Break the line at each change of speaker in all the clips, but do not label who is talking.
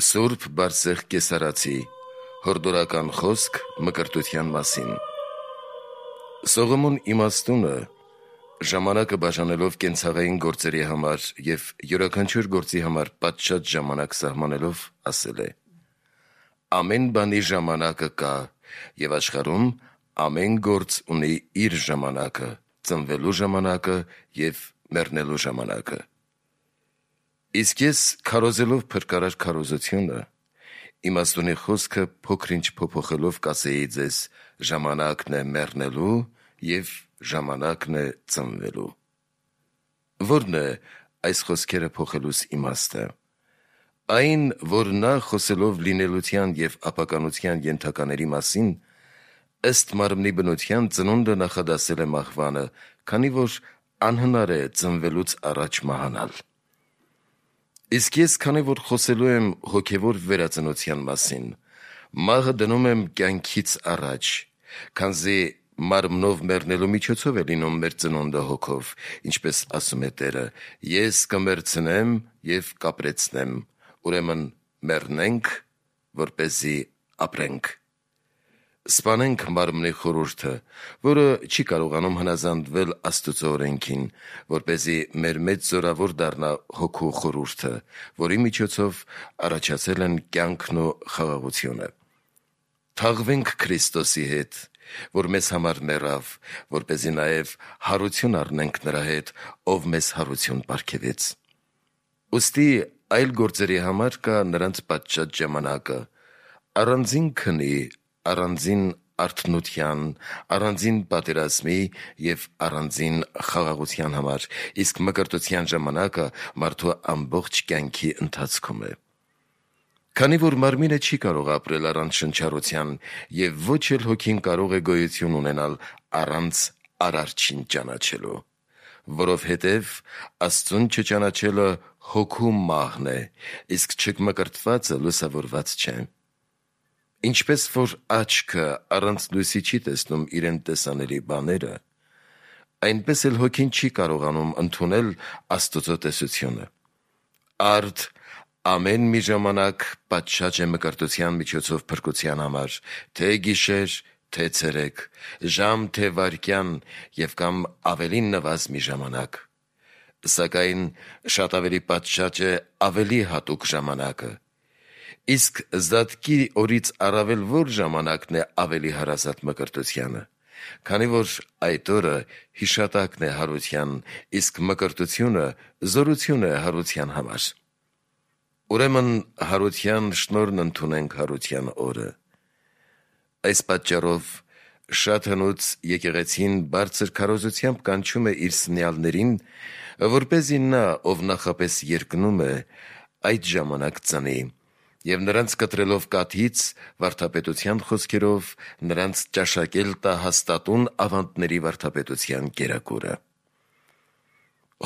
Սուրբ Բարսեղ Կեսարացի հորդորական խոսք մկրտության մասին։ Սողոմոն իմաստունը ժամանակը բաժանելով կենցաղային գործերի համար և յուրաքանչյուր գործի համար պատշաճ ժամանակ սահմանելով ասել է. ամեն բանի ժամանակը կա և աշխարհում ամեն գործ ունի իր ժամանակը, ծնվելու ժամանակը և մեռնելու ժամանակը։ Իսկ ես քարոզելով փրկարար քարոզությունը, իմաստունի խոսքը փոքր-ինչ փոփոխելով կասեի ձեզ. ժամանակն է մեռնելու և ժամանակն է ծնվելու։ Ո՞րն է այս խոսքերը փոխելուս իմաստը։ Այն, որ նա խոսելով լինելության և ապականության ենթակաների մասին, ըստ մարմնի բնության ծնունդը նախադասել է մահվանը, քանի որ անհնար է ծնվելուց առաջ մահանալ։ Իսկ ես, քանի որ խոսելու եմ հոգևոր վերածնության մասին, մահը դնում եմ կյանքից առաջ, քանզի մարմնով մեռնելու միջոցով է լինում մեր ծնունդը հոգով, ինչպես ասում է Տերը. ես կմեռցնեմ և կապրեցնեմ, ուրեմն մեռնենք, որպեսզի ապրենք։ Սպանենք մարմնի խորհուրդը, որը չի կարողանում հնազանդվել Աստծո օրենքին, որպեսզի մեր մեծ զորավոր դառնա հոգու խորհուրդը, որի միջոցով առաջացել են կյանքն ու խաղաղությունը։ Թաղվենք Քրիստոսի հետ, որ մեզ համար մեռավ, որպեսզի նաև հարություն առնենք նրա հետ, ով մեզ հարություն պարգևեց։ Ուստի այլ գործերի համար կա նրանց պատշաճ ժամանակը, առանձին քնի, առանձին արթնության, առանձին պատերազմի և առանձին խաղաղության համար, իսկ մկրտության ժամանակը մարդու ամբողջ կյանքի ընթացքում է։ Քանի որ մարմինը չի կարող ապրել առանց շնչառության, և ոչ էլ հոգին կարող է գոյություն ունենալ առանց Արարչին ճանաչելու, որովհետև Աստծուն չճանաչելը հոգու մահն է, իսկ չմկրտվածը լուսավորված չէ։ Ինչպես որ աչքը առանց լույսի չի տեսնում իրեն տեսանելի բաները, այնպես էլ հոգին չի կարողանում ընդունել Աստծո տեսությունը։ Արդ ամեն մի ժամանակ պատշաճ է մկրտության միջոցով փրկության համար, թե գիշեր, թե ցերեկ, ժամ, թե վայրկյան և կամ ավելի նվազ մի ժամանակ։ Սակայն շատ ավելի պատշաճ է ավելի հատուկ ժամանակը։ Իսկ զատկի օրից առավել որ ժամանակն է ավելի հարազատ մկրտությանը, քանի որ այդ օրը հիշատակն է հարության, իսկ մկրտությունը զորություն է հարության համար։ Ուրեմն հարության շնորհն ընդունենք հարության օրը։ Այս պատճառով շատ հնուց եկեղեցին բարձր քարոզությամբ կանչում է իր սնյալներին, որպեսզի նա, ով նախապես երկնում է, այդ ժամանակ ծնի, և նրանց կտրելով կաթից, վարդապետության խոսքերով, նրանց ճաշակել տա հաստատուն ավանդների վարդապետության կերակուրը։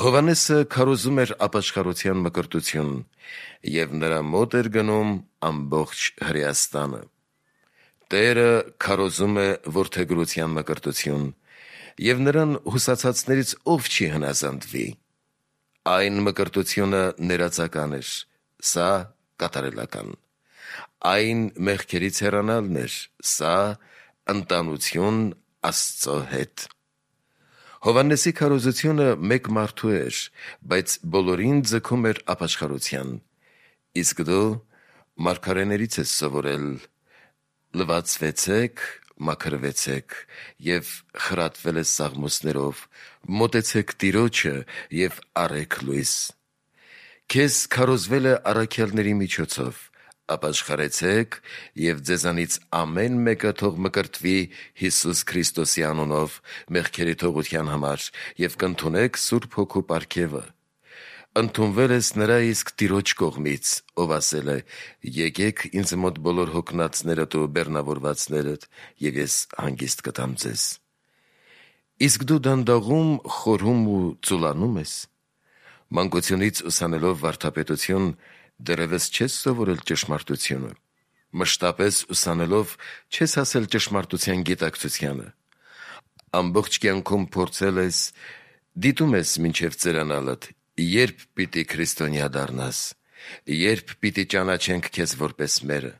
Հովհաննեսը քարոզում էր ապաշխարության մկրտություն, և նրա մոտ էր գնում ամբողջ Հրեաստանը։ Տերը քարոզում է որդեգրության մկրտություն, և նրան հուսացածներից ով չի հնազանդվի։ Այն մկրտությունը ներածական էր, սա կատարելական։ Այն մեղքերից հեռանալն էր, սա ընտանություն Աստծո հետ։ Հովհաննեսի քարոզությունը մեկ մարդու էր, բայց բոլորին ձգում էր ապաշխարության։ Իսկ դու մարգարեներից ես սովորել. լվացվեցեք, մաքրվեցեք և խրատվել ես սաղմոսներով, մոտեցեք Տիրոջը և առեք լույս։ Քեզ քարոզվել է առաքյալների միջոցով. ապաշխարեցեք և ձեզանից ամեն մեկը թող մկրտվի Հիսուս Քրիստոսի անունով մեղքերի թողության համար և կընդունեք Սուրբ Հոգու պարգևը։ Ընդունվել ես նրա իսկ Տիրոջ կողմից, ով ասել է. եկեք ինձ մոտ բոլոր հոգնածներդ ու բեռնավորվածներդ, և ես հանգիստ կտամ ձեզ։ Իսկ դու դանդաղում, խորհում ու ծուլանում ես։ Մանկությունից ուսանելով վարդապետություն, դեռևս չես սովորել ճշմարտությունը։ Մշտապես ուսանելով չես հասել ճշմարտության գիտակցությանը։ Ամբողջ կյանքում փորձել ես, դիտում ես մինչև ծերանալդ, երբ պիտի քրիստոնյա դառնաս, երբ պիտի ճանաչենք քեզ որպես մերը։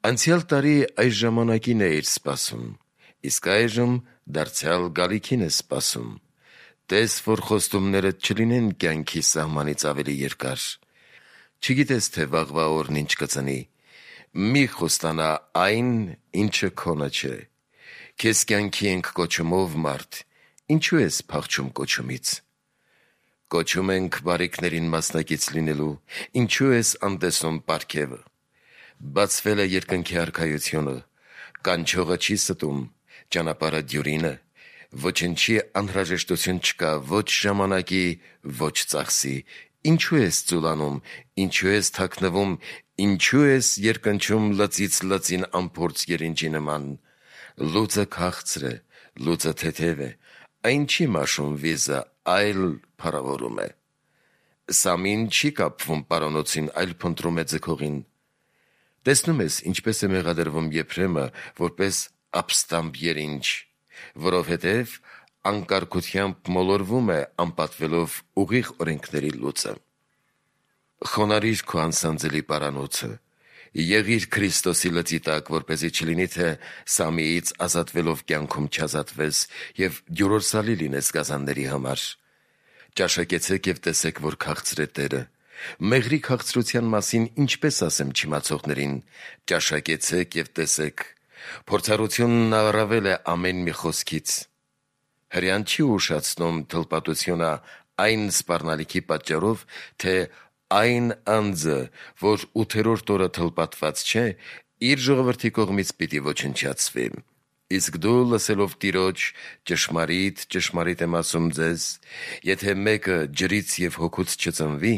Անցյալ տարի այս ժամանակին էիր սպասում, իսկ այժմ դարձյալ գալիքին ես սպասում։ Տես, որ խոստումներդ չլինեն կյանքի սահմանից ավելի երկար։ Չգիտես, թե վաղվա օրն ինչ կծնի։ Մի խոստանա այն, ինչը քոնը չէ։ Քեզ կյանքի ենք կոչումով, մարդ, ինչու ես փախչում կոչումից։ Կոչում ենք բարիքներին մասնակից լինելու, ինչու ես անտեսում պարգևը։ Բացվել է երկնքի արքայությունը, կանչողը չի ստում, ճանապարհը դյուրին է, ոչնչի անհրաժեշտություն չկա, ոչ ժամանակի, ոչ ծախսի։ Ինչու ես ծուլանում, ինչու ես թաքնվում, ինչու ես երկնչում լծից լծին անփորձ երինջի նման։ Լուծը քաղցր է, լուծը թեթև է, այն չի մաշում վիզը, այլ փառավորում է։ Սամին չի կապվում պարանոցին, այլ փնտրում է ձգողին։ Տեսնում ես, ինչպես է մեղադրվում Եփրեմը, որպես ապստամբ երինջ, որովհետև անկարգությամբ մոլորվում է, անպատվելով ուղիղ օրենքների լուծը։ Խոնարհիր քո անսանձելի պարանոցը, եղիր Քրիստոսի լծի տակ, որպեսզի չլինի, թե Սամիից ազատվելով կյանքում չազատվես և դյուրորսալի լինես գազանների համար։ Ճաշակեցեք և տեսեք, որ քաղցր է Տերը։ Մեղրի քաղցրության մասին ինչպես ասեմ չիմացողներին, ճաշակեցեք և տեսեք։ Փորձառությունն առավել է ամեն մի խոսքից։ Հրեան չի ուշացնում թլպատությունը այն սպառնալիքի պատճառով, թե այն անձը, որ 8-րդ օրը թլպատված չէ, իր ժողովրդի կողմից պիտի ոչնչացվի։ Իսկ դու լսելով Տիրոջ, ճշմարիտ եմ ասում ձեզ, եթե մեկը ջրից և հոգուց չծնվի,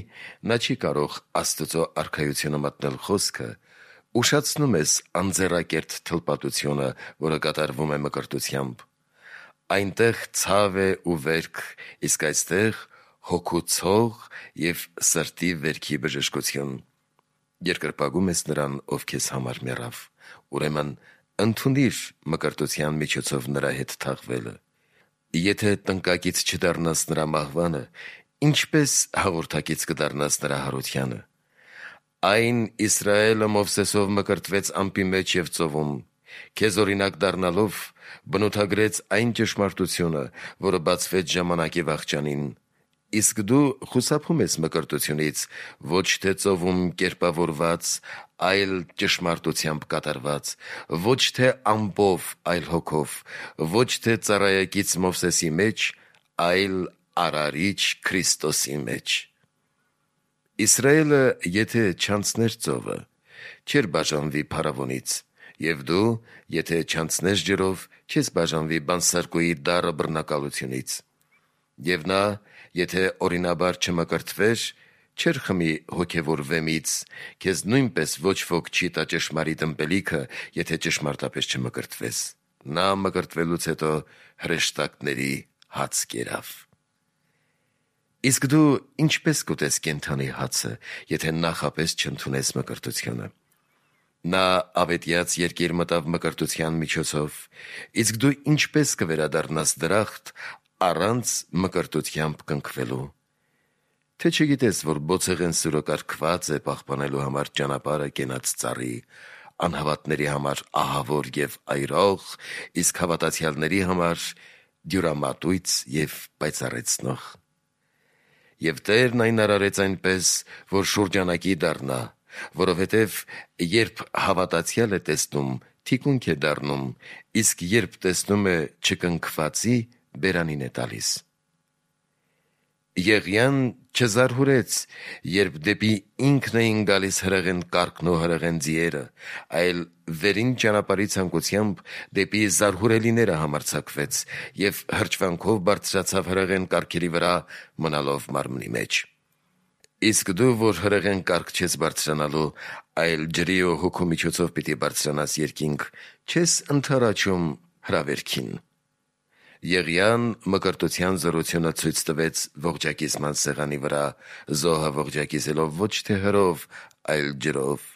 նա չի կարող Աստծո արքայությունը մտնել խոսքը, ուշացնում ես անձեռակերտ թլպատությունը, որը կատարվում է մկրտությամբ։ Այնտեղ ցավ է ու վերք, իսկ այստեղ հոգու ցող և սրտի վերքի բժշկություն։ Երկրպագում ես նրան, ով քեզ համար մեռավ, ուրեմն ընդունիր մկրտության միջոցով նրա հետ թաղվելը։ Եթե տնկակից չդառնաս նրա մահվանը, ինչպես հաղորդակից կդառնաս նրա հարությանը։ Այն Իսրայելը Մովսեսով մկրտվեց ամպի մեջ և ծովում, քեզ օրինակ դառնալով բնութագրեց այն ճշմարտությունը, որը բացվեց ժամանակի վախճանին։ Իսկ դու խուսափում ես մկրտությունից, ոչ թե ծովում կերպավորված, այլ ճշմարտությամբ կատարված, ոչ թե ամպով, այլ հոգով, ոչ թե ծառայակից Մովսեսի մեջ, այլ արարիչ Քրիստոսի մեջ։ Իսրայելը, եթե չանցներ ծովը, չէր բաժանվի փարավոնից, և դու, եթե չանցնես ջրով, չես բաժանվի բանսարկուի դառը բռնակալությունից։ Եվ նա, եթե օրինաբար չմկրտվեր, չէր խմի հոգևոր վեմից, քեզ նույնպես ոչ ոք չի տա ճշմարիտ ըմպելիքը, եթե ճշմարտապես չմկրտվես։ Նա մկրտվելուց հետո հրեշտակների հաց կերավ։ Իսկ դու ինչպես կուտես կենդանի հացը, եթե նախապես չընդունես մկրտությունը։ Նա ավետյաց երկիր մտավ մկրտության միջոցով, իսկ դու ինչպես կվերադառնաս դրախտ առանց մկրտությամբ կնքվելու։ Թե չգիտես, որ բոցեղեն սուրը կարգված է պահպանելու համար ճանապարհը կենաց ծառի, անհավատների համար ահավոր և այրող, իսկ հավատացյալների համար դյուրամատույց և պայծառեցնող։ Եվ Տերն այն արարեց այնպես, որ շուրջանակի դառնա, որովհետև երբ հավատացյալ է տեսնում, թիկունք է դառնում, իսկ երբ տեսնում է չկնքվածի, բերանին է տալիս։ Եղիան չզարհուրեց, երբ դեպի ինքն էին գալիս հրեղեն կառքն ու հրեղեն ձիերը, այլ վերին ճանապարհի ցանկությամբ դեպի զարհուրելիները համարձակվեց և հրճվանքով բարձրացավ հրեղեն կառքերի վրա, մնալով մարմնի մեջ։ Իսկ դու, որ հրեղեն կառք չես բարձրանալու, այլ ջրի ու հոգու միջոցով պիտի բարձրանաս երկինք, չես ընդառաջում հրավերքին։ Եղիան մկրտության զորությունը ցույց տվեց ողջակիզման սեղանի վրա, զոհը ողջակիզելով ոչ թե հրով, այլ ջրով։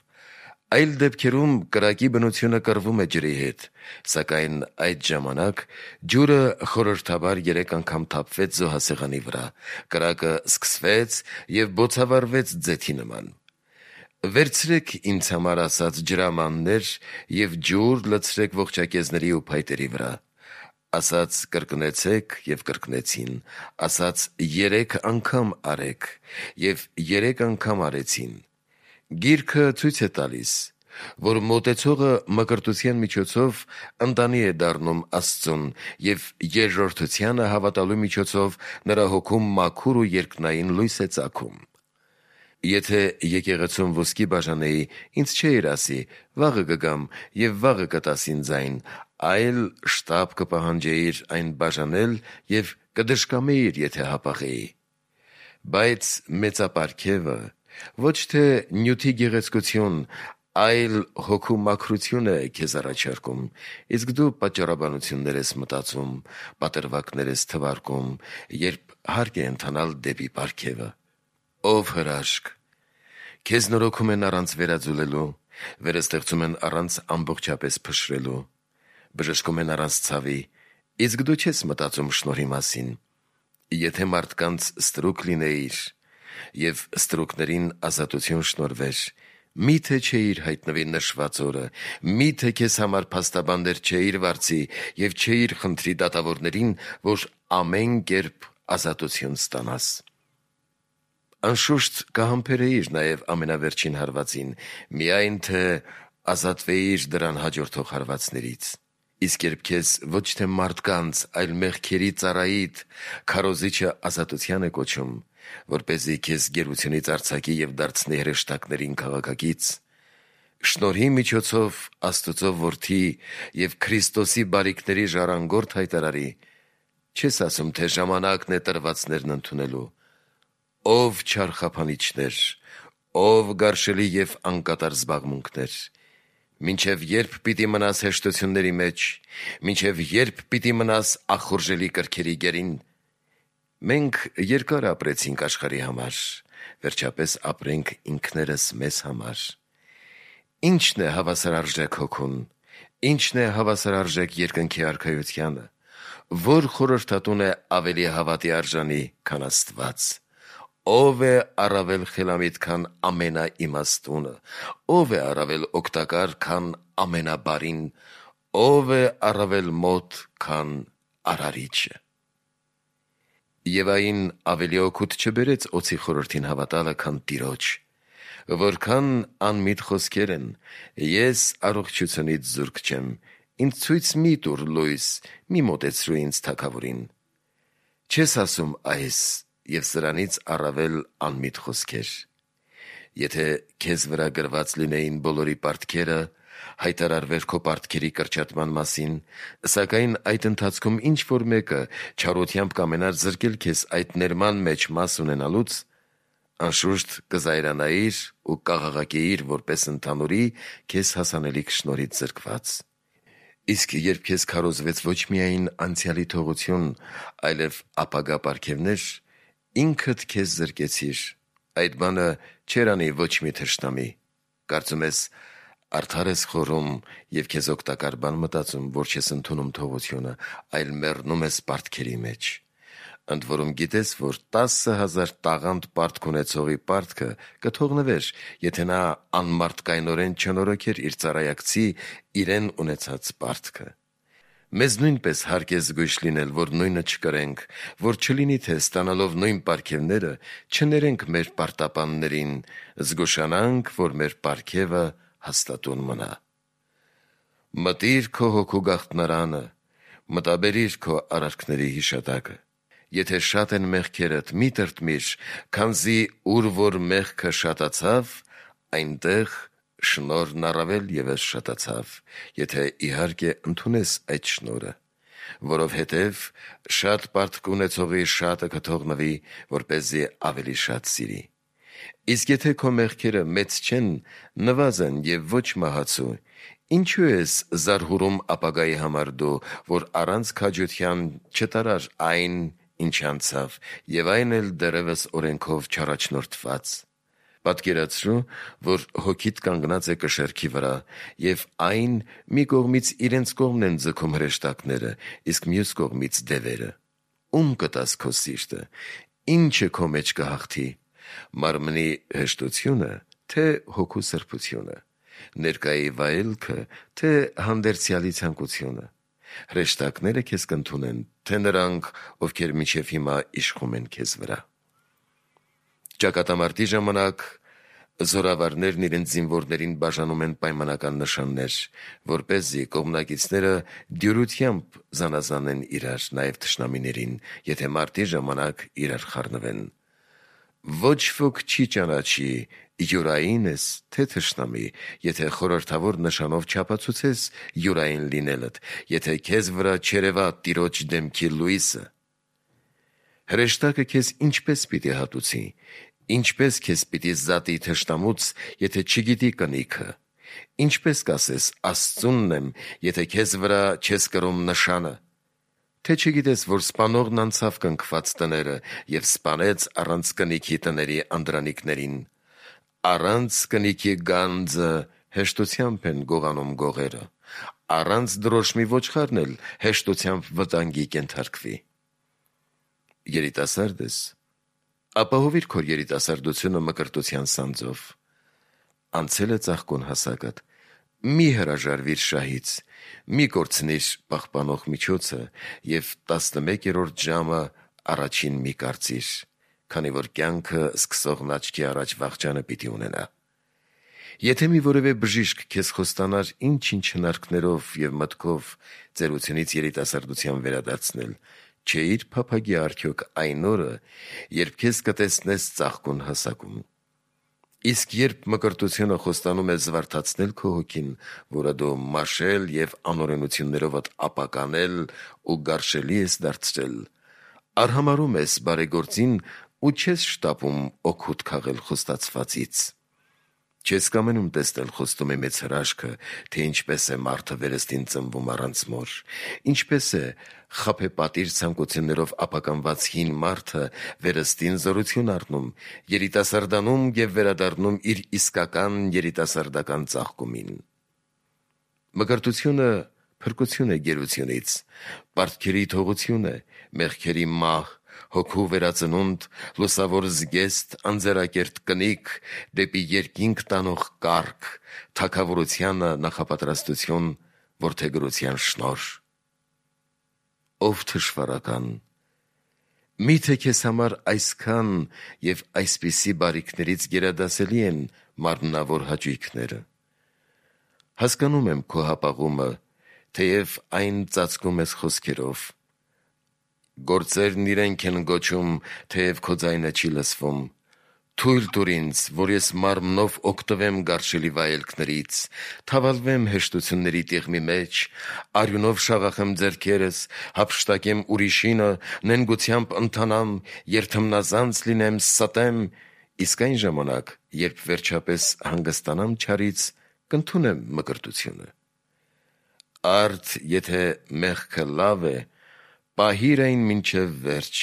Այլ դեպքերում կրակի բնությունը կռվում է ջրի հետ, սակայն այդ ժամանակ ջուրը խորհրդաբար 3 անգամ թափվեց զոհասեղանի վրա, կրակը սկսվեց և բոցավառվեց ձեթի նման։ Վերցրեք ինձ համար ասաց ջրամաններ և ջուր լցրեք ողջակեզների ու փայտերի վրա, ասաց կրկնեցեք և կրկնեցին, ասաց 3 անգամ արեք և 3 անգամ արեցին։ Գիրքը ցույց է տալիս, որ մոտեցողը մկրտության միջոցով ընտանի է դառնում Աստծուն և երկրորդությանը հավատալու միջոցով նրա հոգում մաքուր ու երկնային լույս է ծագում։ Եթե եկեղեցում ոսկի բաժանեի, ինձ չէիր ասի, վաղը կգամ և վաղը կտաս ինձ այն, այլ շտապ կպահանջեիր այն բաժանել և կդժկամեիր, եթե հապաղեի։ Բայց մեծապարգևը ոչ թե նյութի գեղեցկություն, այլ հոգու մաքրություն է քեզ առաջարկում, իսկ դու պատճառաբանություններ ես մտածում, պատրվակներ ես թվարկում, երբ հարկ է ընթանալ դեպի պարգևը։ Ով հրաշք, քեզ նորոգում են առանց վերաձուլելու, վերստեղծում են առանց ամբողջապես փշրելու, բժշկում են առանց ցավի, իսկ դու չես մտածում շնորհի մասին։ Եթե մարդկանց ստրուկ լինեիր և ստրուկներին ազատություն շնորհվեր, միթե չէիր հայտնվի նշված օրը, միթե քեզ համար փաստաբաններ չէիր վարձի և չէիր խնդրի դատավորներին, որ ամեն կերպ ազատություն ստանաս։ Անշուշտ կհամբերեիր նաև ամենավերջին հարվածին, միայն թե ազատվեիր դրան հաջորդող հարվածներից։ Իսկ երբ քեզ ոչ թե մարդկանց, այլ մեղքերի ծառայիդ քարոզիչը ազատության է կոչում, որպեսզի քեզ գերությունից արձակի և դարձնի հրեշտակներին քաղաքակից, շնորհի միջոցով Աստծո որդի և Քրիստոսի բարիքների ժառանգորդ հայտարարի, չես ասում, թե ժամանակն է տրվածներն ընդունելու։ Ով չար խափանիչներ, ով գարշելի և անկատար զբաղմունքներ, մինչև երբ պիտի մնաս հեշտությունների մեջ, մինչև երբ պիտի մնաս ախորժելի կրքերի գերին։ Մենք երկար ապրեցինք աշխարհի համար, վերջապես ապրենք ինքներս մեզ համար։ Ի՞նչն է հավասար արժեք հոգուն, ի՞նչն է հավասար արժեք երկնքի արքայությանը, որ խորհրդատուն է ավելի հավատի արժանի, քան Աստված։ Ով է առավել խելամիտ, քան ամենաիմաստունը, ով է առավել օգտակար, քան ամենաբարին, ով է առավել մոտ, քան արարիչը։ Եվային ավելի օգուտ չբերեց օձի խորհրդին հավատալը, քան Տիրոջ, որքան անմիտ խոսքեր են. ես առողջությունից զուրկ չեմ, ինձ ցույց մի տուր լույս, մի մոտեցրու ինձ թագավորին։ Չես ասում այս և սրանից առավել անմիտ խոսքեր։ Եթե քեզ վրա գրված լինեին բոլորի պարտքերը, հայտարարվեր քո պարտքերի կրճատման մասին, սակայն այդ ընթացքում ինչ-որ մեկը չարությամբ կամենար զրկել քեզ այդ ներման մեջ մաս ունենալուց, անշուշտ կզայրանայիր ու կաղաղակեիր որպես ընդհանուրի քեզ հասանելիք շնորհից զրկված։ Իսկ երբ քեզ քարոզվեց ոչ միայն անցյալի թողություն, այլև ապագա պարգևներ, ինքդ քեզ զրկեցիր, այդ բանը չէր անի ոչ մի թշնամի։ Կարծում ես արդար ես խորում և քեզ օգտակար բան մտածում, որ չես ընդունում թողությունը, այլ մեռնում ես պարտքերի մեջ։ Ընդ որում գիտես, որ 10,000 տաղանդ պարտք ունեցողի պարտքը կթողնվեր, եթե նա անմարդկայնորեն չնորոգեր իր ծառայակցի իրեն ունեցած պարտքը։ Մեզ նույնպես հարկ է զգույշ լինել, որ նույնը չկրենք, որ չլինի, թե ստանալով նույն պարգևները չներենք մեր պարտապաններին, զգուշանանք, որ մեր պարգևը հաստատուն մնա։ Մտիր քո հոգու գաղտնարանը, մտաբերիր քո արարքների հիշատակը։ Եթե շատ են մեղքերդ, մի տրտմիր, քանզի ուր որ մեղքը շատացավ, այնտեղ շնորհն առավել ևս շատացավ, եթե իհարկե ընդունես այդ շնորհը, որովհետև շատ պարտք ունեցողի շատը կթողնվի, որպեսզի ավելի շատ սիրի։ Իսկ եթե քո մեղքերը մեծ չեն, նվազեն և ոչ մահացու, ինչու ես զարհուրում ապագայի համար դու, որ առանց քաջության չտարար այն, ինչ անցավ, և այն էլ դեռևս օրենքով չառաջնորդված։ Պատկերացրու, որ հոգիդ կանգնած է կշեռքի վրա, և այն մի կողմից իրենց կողմն են ձգում հրեշտակները, իսկ մյուս կողմից դևերը։ Ում կտաս քո սիրտը, ինչը քո մեջ կհաղթի, մարմնի հեշտությունը, թե հոգու սրբությունը, ներկայի վայելքը, թե հանդերձյալի ցանկությունը։ Հրեշտակները քեզ կընդունեն, թե նրանք, ովքեր մինչև հիմա իշխում են քեզ վրա։ Ճակատամարտի ժամանակ զորավարներն իրենց զինվորներին բաժանում են պայմանական նշաններ, որպեսզի կողմնակիցները դյուրությամբ զանազանեն իրար, նաև թշնամիներին, եթե մարտի ժամանակ իրար խառնվեն։ Ոչ ոք չի ճանաչի յուրային ես, թե թշնամի, եթե խորհրդավոր նշանով չապացուցես յուրային լինելդ, եթե քեզ վրա չերևա Տիրոջ դեմքի լույսը։ Հրեշտակը քեզ ինչպես պիտի հատուցի, ինչպես քեզ պիտի զատի թշնամուց, եթե չգիտի կնիքը, ինչպես կասես Աստծունն եմ, եթե քեզ վրա չես կրում նշանը, թե չգիտես, որ սպանողն անցավ կնքված տները և սպանեց առանց կնիքի տների անդրանիկներին, առանց կնիքի գանձը հեշտությամբ են գողանում գողերը, առանց դրոշմի ոչխարն էլ հեշտությամբ վտանգի կենթարկվի։ Երիտասարդ ես, ապահովիր քո երիտասարդությունը մկրտության սանձով։ Անցել է ծաղկուն հասակդ, մի հրաժարվիր շահից, մի կորցնիր պահպանող միջոցը և 11-րդ ժամը առաջին մի կարծիր, քանի որ կյանքը սկսողն աչքի առաջ վախճանը պիտի ունենա։ Եթե մի որևէ բժիշկ քեզ խոստանար ինչ-ինչ հնարքներով և մտքով ծերությունից երիտասարդության վերադարձնել, չէիր փափագի արդյոք այն օրը, երբ քեզ կտեսնես ծաղկուն հասակում։ Իսկ երբ մկրտությունը խոստանում է զվարթացնել քո հոգին, որը դու մաշել և անօրենություններովդ ապականել ու գարշելի ես դարձրել, արհամարհում ես բարեգործին ու չես շտապում օգուտ քաղել խոստացվածից։ Չես կամենում տեսնել խոստումի մեծ հրաշքը, թե ինչպես է մարդը վերստին ծնվում առանց մոր, ինչպես է խաբեպատիժ ցանկություններով ապականված հին մարդը վերստին զորություն առնում, երիտասարդանում և վերադառնում իր իսկական երիտասարդական ծաղկումին։ Մկրտությունը փրկություն է գերությունից, պարտքերի թողություն է, մեղքերի մահ, հոգու վերածնունդ, լուսավոր զգեստ, անձեռակերտ կնիկ, դեպի երկինք տանող կառք, թագավորությանը նախապատրաստություն, որդեգրության շնորհ։ Ով թշվառական, միթե քեզ համար այսքան և այսպիսի բարիքներից գերադասելի են մարմնավոր հաճույքները։ Հասկանում եմ քո հապաղումը, թեև այն ծածկում ես խոսքերով։ Գործերն իրենք են գոչում, թեև քո ձայնը չի լսվում։ Թույլ տուր ինձ, որ ես մարմնով օգտվեմ գարշելի վայելքներից, թավալվեմ հեշտությունների տիղմի մեջ, արյունով շաղախեմ ձեռքերս, հափշտակեմ ուրիշինը, նենգությամբ ընթանամ, երդմնազանց լինեմ, ստեմ, իսկ այն ժամանակ, երբ վերջապես հանգստանամ չարից, կընդունեմ մկրտությունը։ Արդ եթե մեղքը լավ է, պահիր այն մինչև վերջ,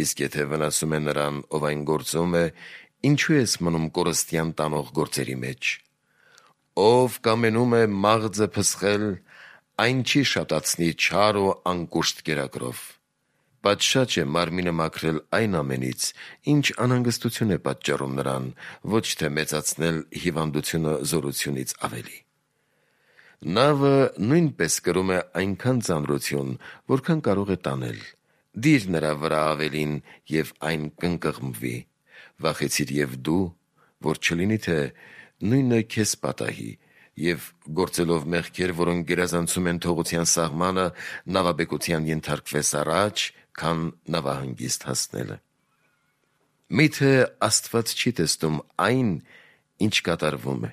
իսկ եթե վնասում է նրան, ով այն գործում է, ինչու ես մնում կորստյան տանող գործերի մեջ։ Ով կամենում է մաղձը փսխել, այն չի շատացնի չար ու անկուշտ կերակրով։ Պատշաճ է մարմինը մաքրել այն ամենից, ինչ անհանգստություն է պատճառում նրան, ոչ թե մեծացնել հիվանդությունը զորությունից ավելի։ Նավը նույնպես կրում է այնքան ծանրություն, որքան կարող է տանել։ Դիր նրա վրա ավելին, և այն կընկղմվի։ Վախեցիր և դու, որ չլինի, թե նույնը քեզ պատահի, և գործելով մեղքեր, որոնք գերազանցում են թողության սահմանը, նավաբեկության ենթարկվես առաջ, քան նավահանգիստ հասնելը։ Միթե Աստված չի տեսնում այն, ինչ կատարվում է։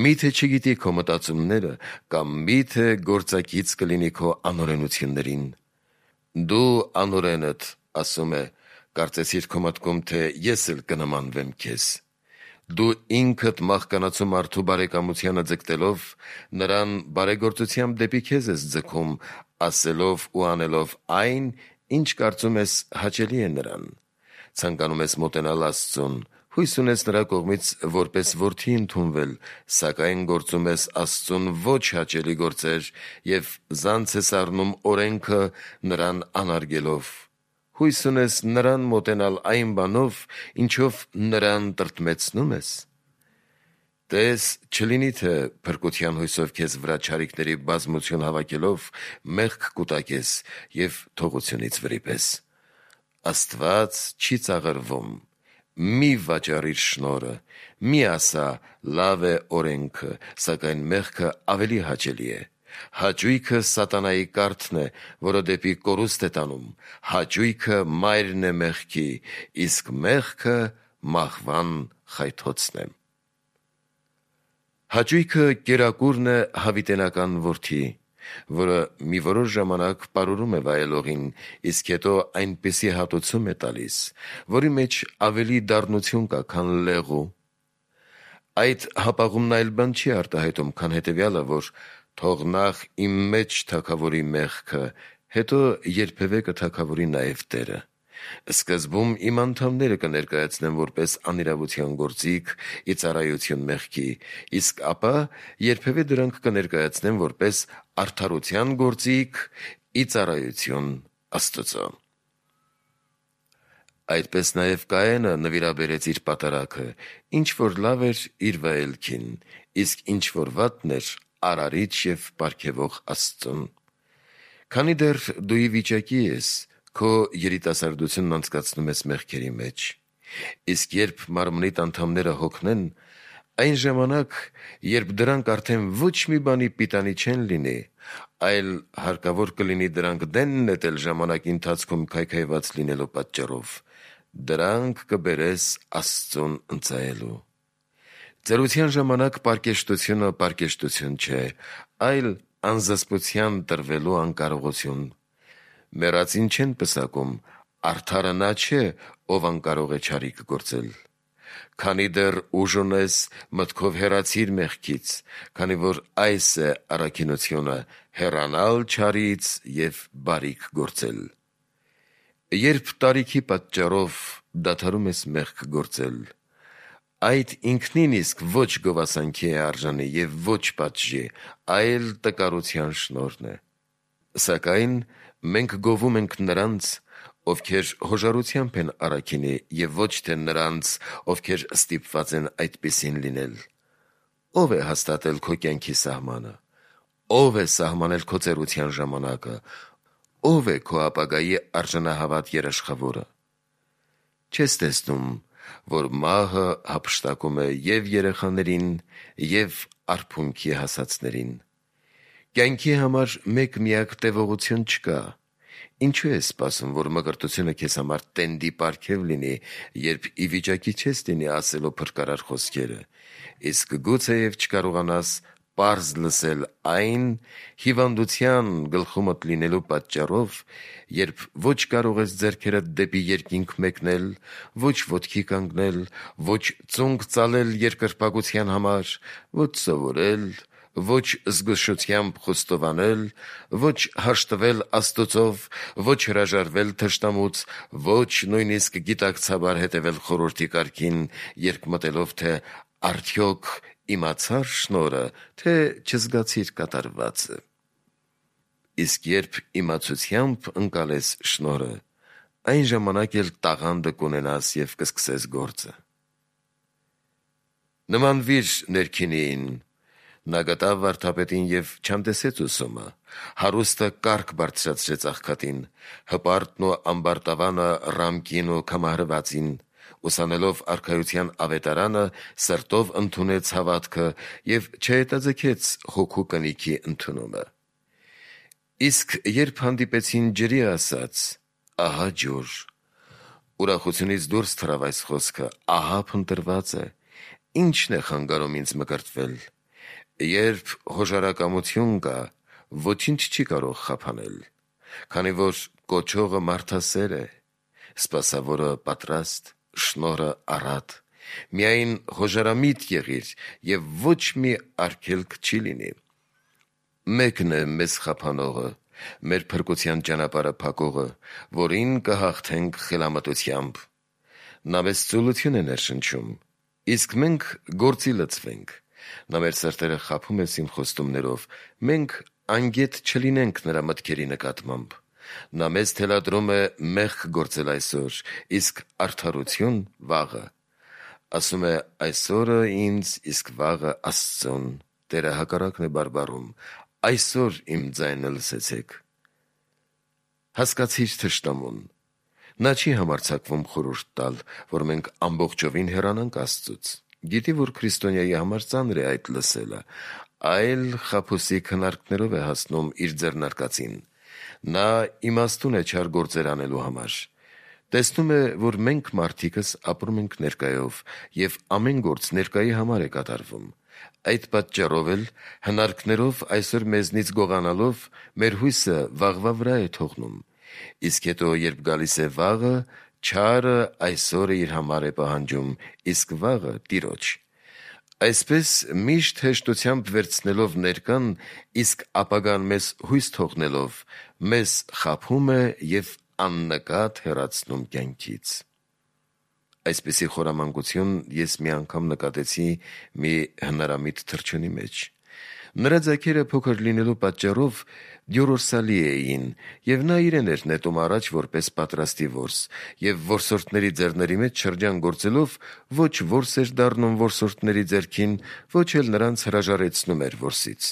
Միթե չգիտի քո մտածումները, կամ միթե գործակից կլինի քո անօրենություններին։ Դու անօրենդ, ասում է, կարծեցիր քո մտքում, թե ես էլ կնմանվեմ քեզ։ Դու ինքդ մահկանացու մարդու բարեկամությանը ձգտելով, նրան բարեգործությամբ դեպի քեզ ես ձգում, ասելով ու անելով այն, ինչ կարծում ես հաճելի է նրան։ Ցանկանում ես մոտենալ Աստծուն, Հույս ունես նրա կողմից որպես որդի ընդունվել, սակայն գործում ես Աստծուն ոչ հաճելի գործեր և զանց ես առնում օրենքը նրան անարգելով։ Հույս ունես նրան մոտենալ այն բանով, ինչով նրան տրտմեցնում ես։ Տես, չլինի թե փրկության հույսով քեզ վրա չարիքների բազմություն հավաքելով մեղք կուտակես և թողությունից վրիպես։ Աստված չի ծաղրվում։ Մի վաճառիր շնորհը, մի ասա լավ է օրենքը, սակայն մեղքը ավելի հաճելի է։ Հաճույքը սատանայի կարթն է, որը դեպի կորուստ է տանում, հաճույքը մայրն է մեղքի, իսկ մեղքը մահվան խայթոցն է։ Հաճույքը կերակուրն է հավիտենական որդի, որը մի որոշ ժամանակ պարուրում է վայելողին, իսկ հետո այնպիսի հատուցում է տալիս, որի մեջ ավելի դառնություն կա, քան լեղու։ Այդ հապաղումն այլ բան չի արտահայտում, քան հետևյալը, որ թող նախ իմ մեջ թագավորի մեղքը, հետո երբևէ կթագավորի նաև Տերը։ Սկզբում իմ անդամները կներկայացնեմ որպես անիրավության գործիք ի ծառայություն մեղքի, իսկ ապա երբևէ դրանք կներկայացնեմ որպես արդարության գործիք ի ծառայություն Աստծո։ Այդպես նաև Կայենը նվիրաբերեց իր պատարագը, ինչ որ լավ էր իր վայելքին, իսկ ինչ որ վատն էր արարիչ և պարգևող Աստծուն։ Քանի դեռ դու ի վիճակի ես, քո երիտասարդությունն անցկացնում ես մեղքերի մեջ, իսկ երբ մարմնիդ անդամները հոգնեն, այն ժամանակ, երբ դրանք արդեն ոչ մի բանի պիտանի չեն լինի, այլ հարկավոր կլինի դրանք դեն նետել ժամանակի ընթացքում քայքայված լինելու պատճառով, դրանք կբերես Աստծուն ընծայելու։ Ծերության ժամանակ պարկեշտությունը պարկեշտություն չէ, այլ անզսպության տրվելու անկարողություն։ Մեռածին չեն պսակում, արդարը նա չէ, ով անկարող է չարիք գործել։ Քանի դեռ ուժ ունես, մտքով հեռացիր մեղքից, քանի որ այս է առաքինությունը՝ հեռանալ չարից և բարիք գործել։ Երբ տարիքի պատճառով դադարում ես մեղք գործել, այդ ինքնին իսկ ոչ գովասանքի է արժանի և ոչ պատժի, այլ տկարության շնորհն է։ Սակայն մենք գովում ենք նրանց, ովքեր հոժարությամբ են առաքինի, և ոչ թե նրանց, ովքեր ստիպված են այդպիսին լինել։ Ո՞վ է հաստատել քո կյանքի սահմանը։ Ո՞վ է սահմանել քո ծերության ժամանակը։ Ո՞վ է քո ապագայի արժանահավատ երաշխավորը։ Չես տեսնում, որ մահը հափշտակում է և երեխաներին, և արփունքի հասածներին։ Կյանքի համար մեկ միակ տևողություն չկա։ Ինչու ես սպասում, որ մկրտությունը քեզ համար տենդի պարգև լինի, երբ ի վիճակի չես լինի ասելու փրկարար խոսքերը, իսկ գուցեև չկարողանաս պարզ լսել այն հիվանդության գլխումդ լինելու պատճառով, երբ ոչ կարող ես ձեռքերդ դեպի երկինք մեկնել, ոչ ոտքի կանգնել, ոչ ծունկ ծալել երկրպագության համար, ոչ սովորել, ոչ զգուշությամբ խոստովանել, ոչ հաշտվել Աստծով, ոչ հրաժարվել թշնամուց, ոչ նույնիսկ գիտակցաբար հետևել խորհրդի կարգին, երբ մտելով, թե արդյոք իմացա՞ր շնորհը, թե չզգացիր կատարվածը։ Իսկ երբ իմացությամբ ընկալես շնորհը, այն ժամանակ էլ տաղանդը կունենաս և կսկսես գործը։ Նմանվիր ներքինին։ Նա գտավ վարդապետին և չանտեսեց ուսումը, հարուստը կառք բարձրացրեց աղքատին, հպարտն ու ամբարտավանը ռամկին ու քամահրվածին, ուսանելով արքայության ավետարանը, սրտով ընդունեց հավատքը և չհետաձգեց հոգու կնիքի ընդունումը։ Իսկ երբ հանդիպեցին ջրի, ասաց. «Ահա ջուր», ուրախությունից դուրս թռավ այս խոսքը. «Ահա փնտրված է, ի՞նչն է խանգարում ինձ մկրտվել»։ Երբ հոժարակամություն կա, ոչինչ չի կարող խափանել, քանի որ կոչողը մարդասեր է, սպասավորը պատրաստ, շնորհը առատ։ Միայն հոժարամիտ եղիր, և ոչ մի արգելք չի լինի։ Մեկն է մեզ խափանողը, մեր փրկության ճանապարհը փակողը, որին կհաղթենք խելամտությամբ։ Նա մեզ ծուլություն է ներշնչում, իսկ մենք գործի լծվենք։ Նա մեր սրտերը խաբում է սին խոստումներով, մենք անգետ չլինենք նրա մտքերի նկատմամբ։ Նա մեզ թելադրում է մեղք գործել այսօր, իսկ արդարություն վաղը։ Ասում է այսօրը ինձ, իսկ վաղը Աստծուն։ Տերը հակառակն է բարբառում, այսօր իմ ձայնը լսեցեք։ Հասկացիր թշնամուն։ Նա չի համարձակվում խորհուրդ տալ, որ մենք ամբողջովին հեռանանք Աստծուց։ Գիտի, որ քրիստոնյայի համար ծանր է այդ լսելը, այլ խաբուսի քննարկներով է հասնում իր ձեռնարկածին։ Նա իմաստուն է չար գործեր անելու համար։ Տեսնում է, որ մենք մարդիկս ապրում ենք ներկայով, և ամեն գործ ներկայի համար է կատարվում։ Այդ պատճառով էլ հնարքներով այսօր մեզնից գողանալով մեր հույսը վաղվա վրա է թողնում։ Իսկ հետո, երբ գալիս է վաղը, չարը այսօրը իր համար է պահանջում, իսկ վաղը Տիրոջ։ Այսպես միշտ հեշտությամբ վերցնելով ներկան, իսկ ապագան մեզ հույս թողնելով, մեզ խաբում է և աննկատ հեռացնում կյանքից։ Այսպիսի խորամանկություն ես մի անգամ նկատեցի մի հնարամիտ թռչունի մեջ։ Նրա ձագերը փոքր լինելու պատճառով դյորորսալի էին, և նա իրեն էր նետում առաջ որպես պատրաստի որս, և որսորդների ձեռների մեջ շրջան գործելով ոչ որս էր դառնում որսորդների ձեռքին, ոչ էլ նրանց հրաժարեցնում էր որսից։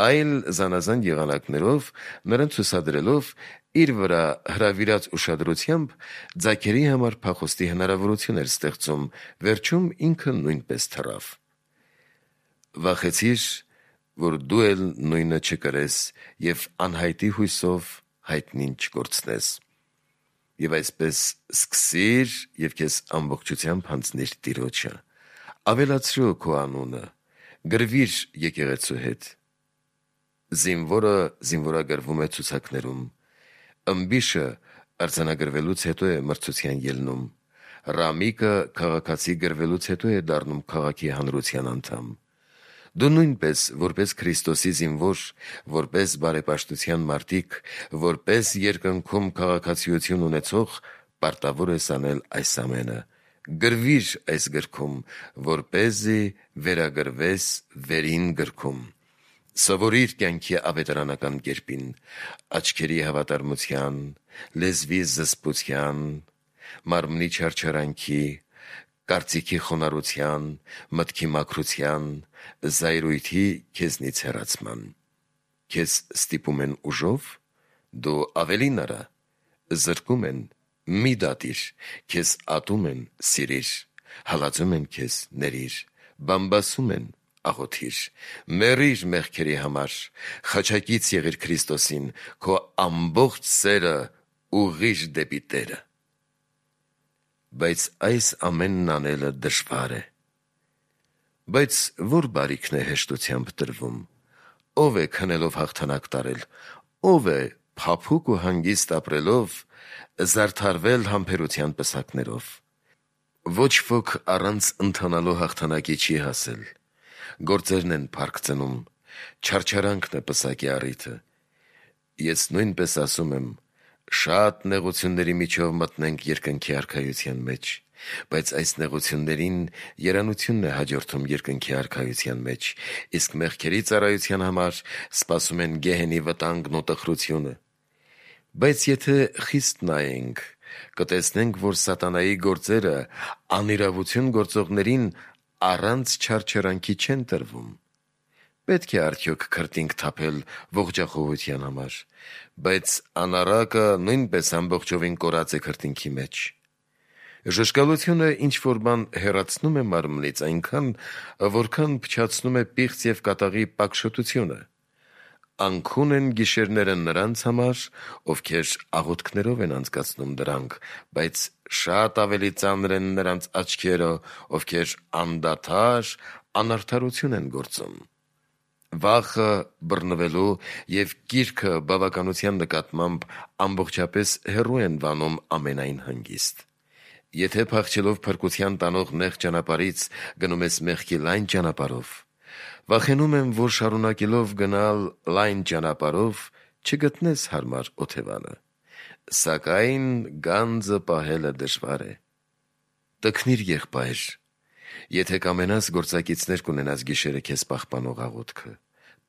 Այլ զանազան եղանակներով նրան ցուցադրելով իր վրա հրավիրած ուշադրությամբ ձագերի համար փախուստի հնարավորություն էր ստեղծում, վերջում ինքը նույնպես թռավ։ Վախեցիր, որ դու էլ նույնը չկրես և անհայտի հույսով հայտնին չկորցնես։ Եվ այսպես սկսիր և քեզ ամբողջությամբ հանձնիր Տիրոջը։ Ավելացրու քո անունը, գրվիր եկեղեցու հետ։ Զինվորը զինվորագրվում է ցուցակներում, ըմբիշը արձանագրվելուց հետո է մրցության ելնում, ռամիկը քաղաքացի գրվելուց հետո է դառնում քաղաքի հանրության անդամ։ Դու նույնպես, որպես Քրիստոսի զինվոր, որպես բարեպաշտության մարտիկ, որպես երկնքում քաղաքացիություն ունեցող, պարտավոր ես անել այս ամենը։ Գրվիր այս գրքում, որպեսզի վերագրվես վերին գրքում։ Սովորիր կյանքի ավետարանական կերպին, աչքերի հավատարմության, լեզվի զսպության, մարմնի չարչարանքի, կարծիքի խոնարհության, մտքի մաքրության, զայրույթի քեզնից հեռացման։ Քեզ ստիպում են ուժով, դու ավելին արա, զրկում են, մի դատիր, քեզ ատում են, սիրիր, հալածում են քեզ, ներիր, բամբասում են, աղոթիր, մեռիր մեղքերի համար, խաչակից եղիր Քրիստոսին, քո ամբողջ սերը ուղղիր դեպի Տերը։ Բայց այս ամենն անելը դժվար է։ Բայց որ բարիքն է հեշտությամբ տրվում։ Ով է քնելով հաղթանակ տարել, ով է փափուկ ու հանգիստ ապրելով զարդարվել համբերության պսակներով։ Ոչ ոք առանց ընթանալու հաղթանակի չի հասել։ Գործերն են փառք ծնում, չարչարանքն է պսակի առիթը։ Ես նույնպես ասում եմ, շատ նեղությունների միջով մտնենք երկնքի արքայության մեջ, բայց այս նեղություններին երանությունն է հաջորդում երկնքի արքայության մեջ, իսկ մեղքերի ծառայության համար սպասում են գեհենի վտանգն ու տխրությունը։ Բայց եթե խիստ նայենք, կտեսնենք, որ սատանայի գործերը անիրավություն գործողներին առանց չարչարանքի չեն տրվում։ Պետք է արդյոք քրտինք թափել ողջախոհության համար, բայց անառակը նույնպես ամբողջովին կորած է քրտինքի մեջ։ Ժշկալությունը ինչ-որ բան հեռացնում է մարմնից այնքան, որքան փչացնում է պիղծ և կատաղի պակշոտությունը։ Անքուն են գիշերները նրանց համար, ովքեր աղոթքներով են անցկացնում դրանք, բայց շատ ավելի ծանր են նրանց աչքերը, ովքեր անդադար անարդարություն են գործում։ Վախը բռնվելու և կիրքը բավականության նկատմամբ ամբողջապես հեռու են վանում ամենայն հանգիստ։ Եթե փախչելով փրկության տանող նեղ ճանապարհից գնում ես մեղքի լայն ճանապարհով, վախենում եմ, որ շարունակելով գնալ լայն ճանապարհով չգտնես հարմար օթևանը, սակայն գանձը պահելը դժվար է։ Տքնիր եղբայր, եթե կամենաս գործակիցներ կունենաս գիշերը քեզ պահպանող աղոթքը,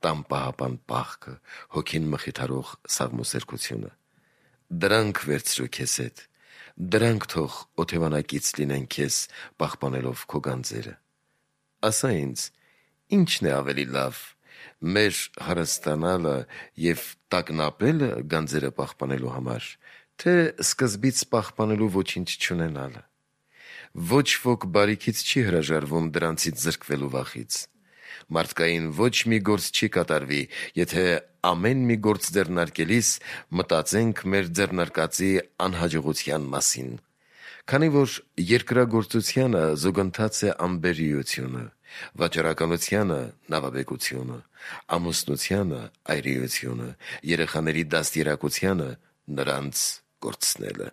տան պահապան պահքը, հոգին մխիթարող սաղմոսերկությունը, դրանք վերցրու քեզ հետ, դրանք թող օթևանակից լինեն քեզ պահպանելով քո գանձերը։ Ասա ինձ, ի՞նչն է ավելի լավ, մեր հարստանալը և տագնապելը գանձերը պահպանելու համար, թե սկզբից պահպանելու ոչինչ չունենալը։ Ոչ ոք բարիքից չի հրաժարվում դրանցից զրկվելու վախից։ Մարդկային ոչ մի գործ չի կատարվի, եթե ամեն մի գործ ձեռնարկելիս մտածենք մեր ձեռնարկածի անհաջողության մասին։ Քանի որ երկրագործությանը զուգընթաց է անբերիությունը, վաճառականությանը նավաբեկությունը, ամուսնությանը այրիությունը, երեխաների դաստիարակությանը նրանց կորցնելը։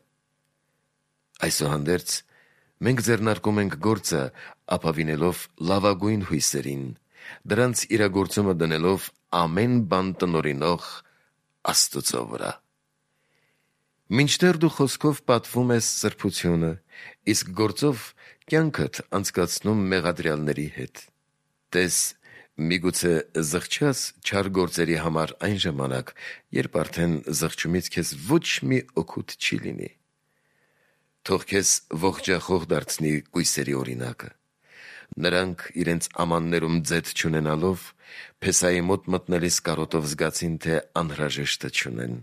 Այսուհանդերձ, մենք ձեռնարկում ենք գործը ապավինելով լավագույն հույսերին, դրանց իրագործումը դնելով ամեն բան տնօրինող Աստծո վրա։ Մինչդեռ դու խոսքով պատվում ես սրբությունը, իսկ գործով կյանքդ անցկացնում մեղադրյալների հետ։ Տես, միգուցե զղջաս չար գործերի համար այն ժամանակ, երբ արդեն զղջումից քեզ ոչ մի օգուտ չի լինի։ Թող քեզ ողջախոհ դարձնի կույսերի օրինակը։ Նրանք իրենց ամաններում ձեթ չունենալով, Փեսայի մոտ մտնելիս կարոտով զգացին, թե անհրաժեշտը չունեն։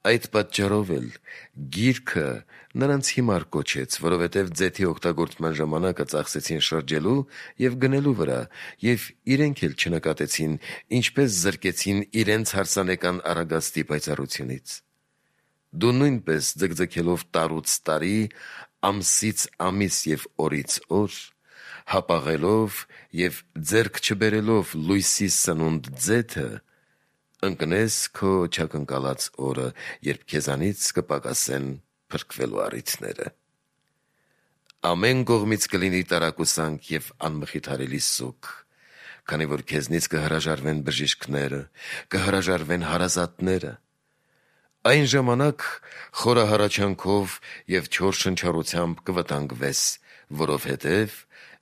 Այդ պատճառով էլ գիրքը նրանց հիմար կոչեց, որովհետև ձեթի օգտագործման ժամանակը ծախսեցին շրջելու և գնելու վրա, և իրենք էլ չնկատեցին, ինչպես զրկեցին իրենց հարսանեկան առագաստի պայծառությունից։ Դու նույնպես ձգձգելով տարուց տարի, ամսից ամիս և օրից օր, հապաղելով և ձեռք չբերելով լույսի սնունդ ձեթը, ընկնես քո չակնկալած օրը, երբ քեզանից կպակասեն փրկվելու առիթները։ Ամեն կողմից կլինի տարակուսանք և անմխիթարելի սուգ, քանի որ քեզնից կհրաժարվեն բժիշկները, կհրաժարվեն հարազատները։ Այն ժամանակ խորահարաչանքով և չոր շնչառությամբ կվտանգվես, որովհետև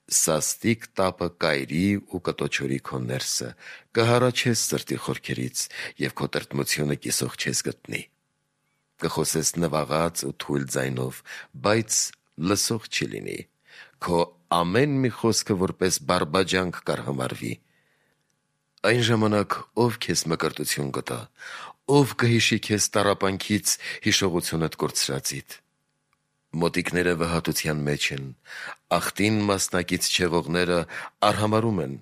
սաստիկ տապը կայրի ու կտոչորի քո ներսը, կհառաչես սրտի խորքերից և քո տրտմությունը կիսող չես գտնի։ Կխոսես նվաղած ու թույլ ձայնով, բայց լսող չի լինի։ Քո ամեն մի խոսքը որպես բարբաջանք կարգամարվի։ Այն ժամանակ ով քեզ մկրտություն կտա, ով կհիշի քեզ տառապանքից հիշողությունդ կորցրածիդ։ Մոտիկները վհատության մեջ են, աղտին մասնակից չեղողները արհամարում են,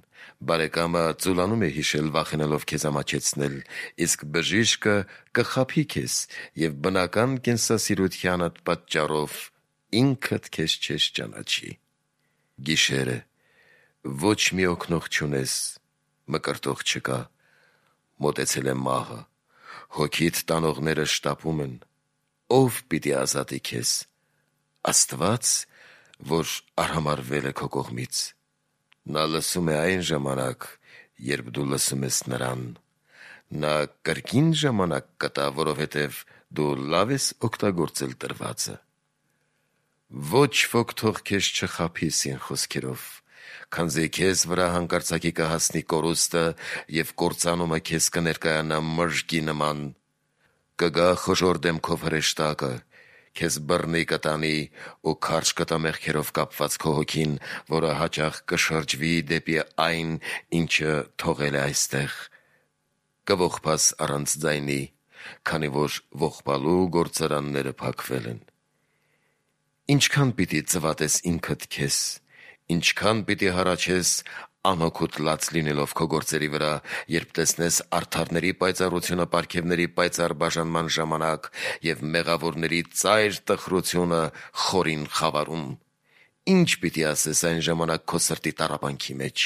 բարեկամը ծուլանում է հիշել վախենալով քեզ ամաչեցնել, իսկ բժիշկը կխաբի քեզ և բնական կենսասիրությանդ պատճառով ինքդ քեզ չես ճանաչի։ Գիշեր է, ոչ մի օգնող չունես, մկրտող չկա, մոտեցել է մահը, հոգիդ տանողները շտապում են, ով պիտի ազատի քեզ։ Աստված, որ արհամարվել է քո կողմից։ Նա լսում է այն ժամանակ, երբ դու լսում ես նրան։ Նա կրկին ժամանակ կտա, որովհետև դու լավ ես օգտագործել տրվածը։ Ոչ ոք թող քեզ չխաբի սին խոսքերով, քանզի քեզ վրա հանկարծակի կհասնի կորուստը և կործանումը քեզ կներկայանա մրրկի նման։ Կգա խոժոր դեմքով հրեշտակը, քեզ բռնի կտանի ու քարշ կտա մեղքերով կապված քո հոգին, որը հաճախ կշրջվի դեպի այն, ինչը թողել է այստեղ։ Կողբաս առանց ձայնի, քանի որ ողբալու գործարանները փակվել են։ Ինչքան պիտի ծվատես ինքդ քեզ, ինչքան պիտի հառաչես անօգուտ լաց լինելով քո գործերի վրա, երբ տեսնես արդարների պայծառությունը պարգևների պայծառ բաժանման ժամանակ և մեղավորների ծայր տխրությունը խորին խավարում։ Ինչ պիտի ասես այն ժամանակ քո սրտի տառապանքի մեջ.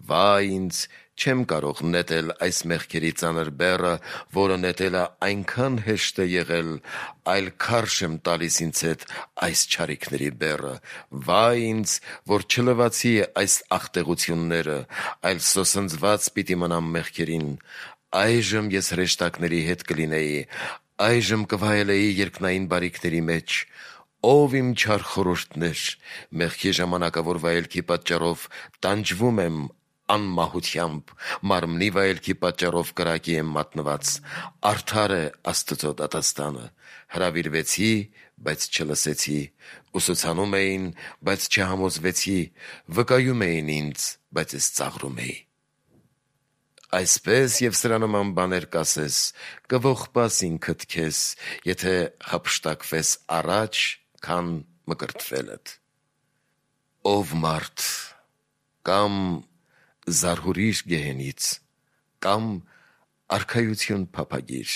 «Վայ ինձ, չեմ կարող նետել այս մեղքերի ծանր բեռը, որը նետելը այնքան հեշտ է եղել, այլ քարշ եմ տալիս ինձ հետ այս չարիքների բեռը։ Վայ ինձ, որ չլվացի այս աղտեղությունները, այլ սոսնձված պիտի մնամ մեղքերին։ Այժմ ես հրեշտակների հետ կլինեի, այժմ կվայելեի երկնային բարիքների մեջ։ Ով իմ չար խորհուրդներ, մեղքի ժամանակավոր վայելքի պատճառով տանջվում եմ անմահությամբ, մարմնի վայելքի պատճառով կրակի եմ մատնված, արդար է Աստծո դատաստանը, հրավիրվեցի, բայց չլսեցի, ուսուցանում էին, բայց չհամոզվեցի, վկայում էին ինձ, բայց ես ծաղրում էի։ Այսպես եւ սրա նման բաներ կասես, կողպաս ինքդ քեզ, եթե հափշտակվես առաջ, քան մկրտվելդ։ Ով մարդ, կամ զարհուրիր գեհենից, կամ արքայություն փափագիր,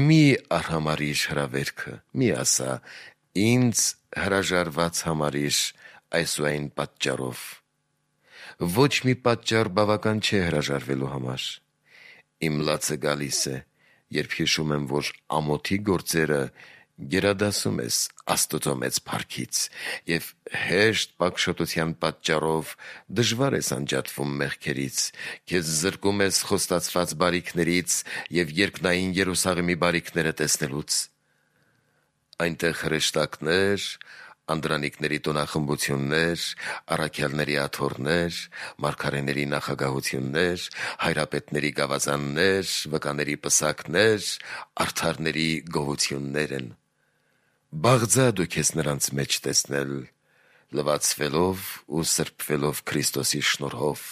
մի արհամարիր հրավերքը, մի ասա, ինձ հրաժարված համարիր այսուայն պատճառով։ Ոչ մի պատճառ բավական չէ հրաժարվելու համար։ Իմ լացը գալիս է, երբ հիշում եմ, որ ամոթի գործերը գերադասում ես Աստծո մեծ փառքից, եւ հեշտ պակշոտության պատճառով դժվար ես անջատվում մեղքերից, քեզ զրկում ես խոստացված բարիքներից եւ երկնային Երուսաղեմի բարիքները տեսնելուց։ Այնտեղ հրեշտակներ, անդրանիկների տոնախմբություններ, առաքյալների աթոռներ, մարգարեների նախագահություններ, հայրապետների գավազաններ, վկաների պսակներ, արդարների գովություններ են։ Բաղձա դու քեզ նրանց մեջ տեսնել, լվացվելով ու սրբվելով Քրիստոսի շնորհով,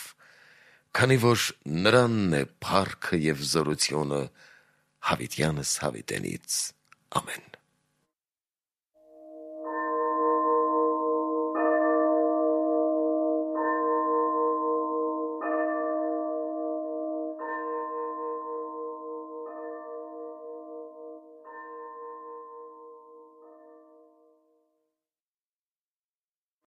քանի որ նրանն է փառքը եւ զորությունը հավիտյանս հավիտենից։ Ամեն։